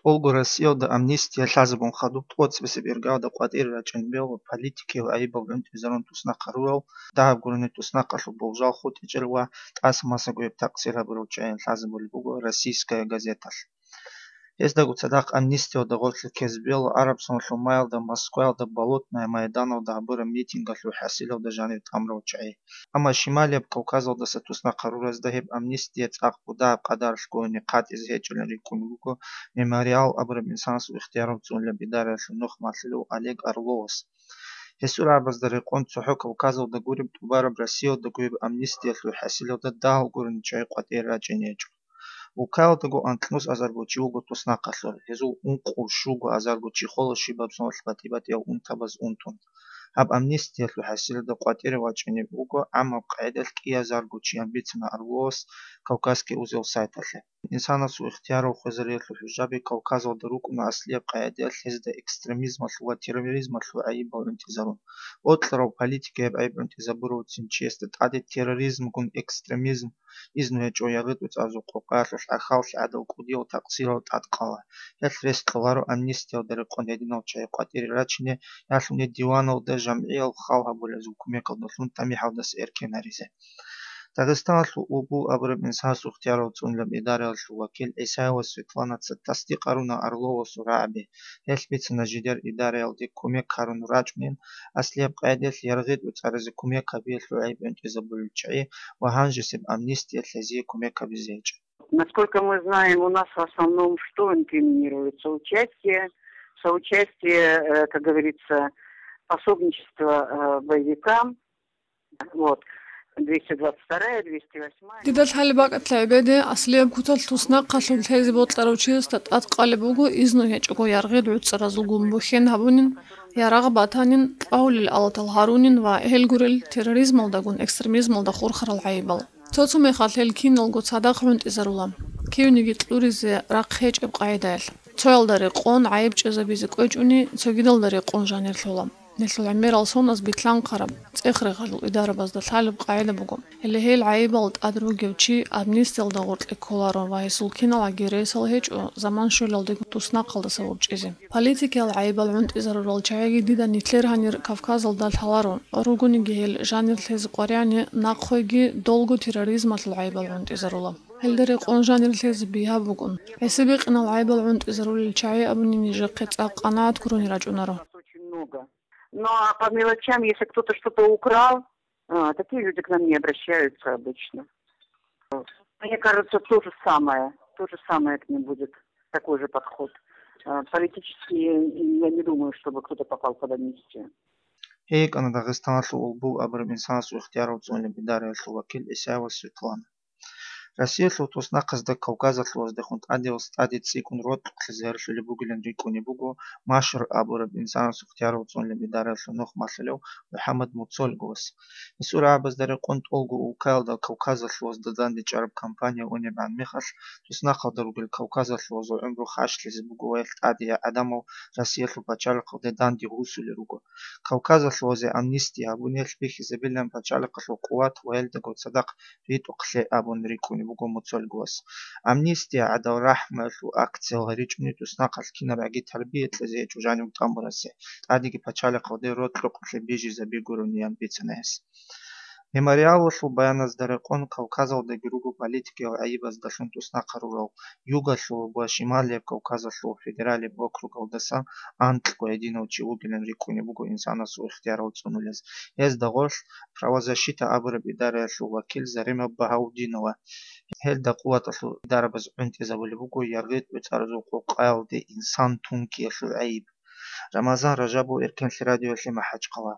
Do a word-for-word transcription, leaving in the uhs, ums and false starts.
Олго Россиялда амнистия лъазабун хадуб тӀоцебесеб иргаялда къватӀире рачӀунеб бегьула политикиял гӀайибал гӀунтӀизарун туснахъ гьарурал, дагьаб гурони туснахъалъул болжал хутӀичӀел ва тӀаса-масагояб такъсир гьабурал чагӀи лъазабулеб буго «Российская газеталъ». Гьездаго цадахъ амнистиялда гъорлъ ккезе бегьула араб соналъул маялда Москваялда Болотное майданалда гьабураб митингалъул хӀасилалда жанир тӀамурал чагӀи. Амма Шималияб Кавказалдаса туснахъ гьаруразда гьеб амнистия цӀакъго дагьаб къадаралъ гурони хъатӀизе гьечӀилан рикӀкӀунеб буго «Мемориал» абураб инсанасул ихтиярал цӀунулеб идараялъул нух малъулев Олег Орловас. Гьесул рагӀабазда рекъон цохӀо Кавказалда гуреб, тӀубараб Россиялда гуреб амнистиялъул хӀасилалда дагьал гурони чагӀи къватӀире рачӀине гьечӀо. Улкаялдаго анкьнус азарго чи вуго туснахъалъур, гьезул ункъо-щуго азарго чи хола щибаб соналъ батӀи-батӀиял унтабаз унтун. Гьаб амнистиялъул хӀасилалда къватӀире вачӀине вуго гӀаммаб къагӀидалъ кӀиазарго чиян бицана Орловас «Кавказский узел» сайталъе. Инсанасул ихтиярал хвезариялъул хӀужаби Кавказалда рукӀуна аслияб къагӀидаялъ гьезда экстремизмалъул ва терроризмалъул гӀайибал гӀунтӀизарун. Бокьарав политикияб гӀайиб гӀунтӀизабуравцин чиясда тӀаде терроризмгун экстремизм изну гьечӀо, яргъи-тӀуцӀарзул къокъаялъулъ ахьаллъи гӀадал кӀудиял такъсирал тӀад ккола. Гьелъ рес кьоларо амнистиялда рекъон гьединал чагӀи къватӀире рачине, ялъуни диваналда жамгӀиял хал гьабулезул кумекалдалъун тамихӀалдаса эркен гьаризе. Дагъистаналъул Улбул абураб инсанасул ихтиярал цӀунулеб идараялъул вакил ГӀисаева Светланаца тасдикъ гьаруна Орловасул рагӀаби. Гьелъ бицана жидер идараялде кумек гьарун рачӀунин, аслияб къагӀидаялъ яргъи-тӀуцӀаризе кумек гьабиялъул гӀайиб гӀунтӀизабулел чагӀи ва гьанжесеб амнистиялъ гьезие кумек гьабизе гьечӀеб. Насколько мы знаем, у нас в основном что инкриминируется? Участие, соучастие, э, как говорится, пособничество, э, боевикам. Вот. Двести двадцать вторая, двести восьмая. Дида лъалеб бакӀалъ гӀебеде, аслияб куцалъ туснахъалъур лъезе бокьарав чиясда тӀад кколеб буго изну гьечӀого яргъи-тӀуцӀаразулгун бухьен гьабунин, ярагъ батанин, кьвагьулел алатал гьарунин ва гьел гурел терроризмалдагун экстремизмалда хурхарал гӀайибал. Цо-цо мехалъ гьел киналго цадахъ гӀунтӀизарула, кивниги кьуризе рахъ гьечӀеб къагӀидаялъ. Цоялда рекъон гӀайиб чӀезабизе кӀвечӀони, цогидалда рекъон жанир лъола. Нилъул гӀемерал соназ битлъанхъараб, цӀех-регъалил идарабазда лъалеб къагӀида буго: гьеле гьел гӀайибал тӀад ругев чи амнистиялда гъоркье кколаро ва гьесул киналги ресал гьечӀо, заман щвелалдего туснахъалдаса ворчӀизе. Политикиял гӀайибал гӀунтӀизарурал чагӀиги дида нилъер гьанир Кавказалда лъаларо, ругониги гьел жанир лъезе къваригӀани, нахъеги долго терроризмалъул гӀайибал гӀунтӀизарула. Гьелда рекъон жанир лъезе бигьа бугун. ГӀисабикъинал гӀайибал гӀунтӀизарулел чагӀи абуни нижехъе цӀакъ къанагӀат гурони рачӀунаро. Очень много. Ну, а по мелочам, если кто-то что-то украл, а, такие люди к нам не обращаются обычно. Мне кажется, то же самое, то же самое к ним будет, такой же подход. А, политически я не думаю, чтобы кто-то попал под амнистию. ГьикӀана Дагъистаналъул Улбул абураб инсанасул ихтиярал цӀунулеб идараялъул вакил ГӀисаева Светлана. Россиялъул туснахъазда Кавказалъулаздехун тӀадегӀас тӀаде цӀикӀкӀун рокьукълъи зегьарлъулеб бугилан рикӀкӀунеб буго Машр абураб инсанасул ихтиярал цӀунулеб идараялъул нух малъулев МухӀаммад Муцольговас. Гьесул рагӀабазда рекъон тӀолго улкаялда Кавказалъулазда дандечӀараб кампания унебгӀан мехалъ, туснахъалда ругел кавказалъулазул гӀумру хашлъизе буго ва гьелъ тӀадеги гӀадамал Россиялъул пачалихъалде данде гьусулел руго. Кавказалъулазе амнистия гьабуни гьелъ бихьизабилан пачалихъалъул къуват ва гьелдаго цадахъ ритӀухълъи абун рикӀкӀунеб буго Муцольговас. Амнистия гӀадал рахӀмуялъул акциял гьаричӀони туснахъалъ кинабгӀаги тарбия кьезе гьечӀо жанив тӀамурасе, тӀадеги пачалихъалде рокьукълъи бижизаби гурони, ян бицана гьес. Мемориалалъул баяназда рекъон Кавказалдаги руго политикиял гӀайибаздалъун туснахъ гьарурал, Югалъулаб ва Шималияб Кавказалъул федералияб округалдаса анкьго гьединав чи вугилан рикӀкӀунеб буго инсанасул ихтиярал цӀунулез. Гьезда гъорлъ «Правозащита» абураб идараялъул вакил Зарема Багьаудинова. Гьелда къуваталъул идарабаз гӀунтӀизабулеб буго яргъи-тӀуцӀаразул къокъаялде инсан тункиялъул гӀайиб. Рамазан Ражабов, Эркенлъи радиоялъе, МахӀачхъала.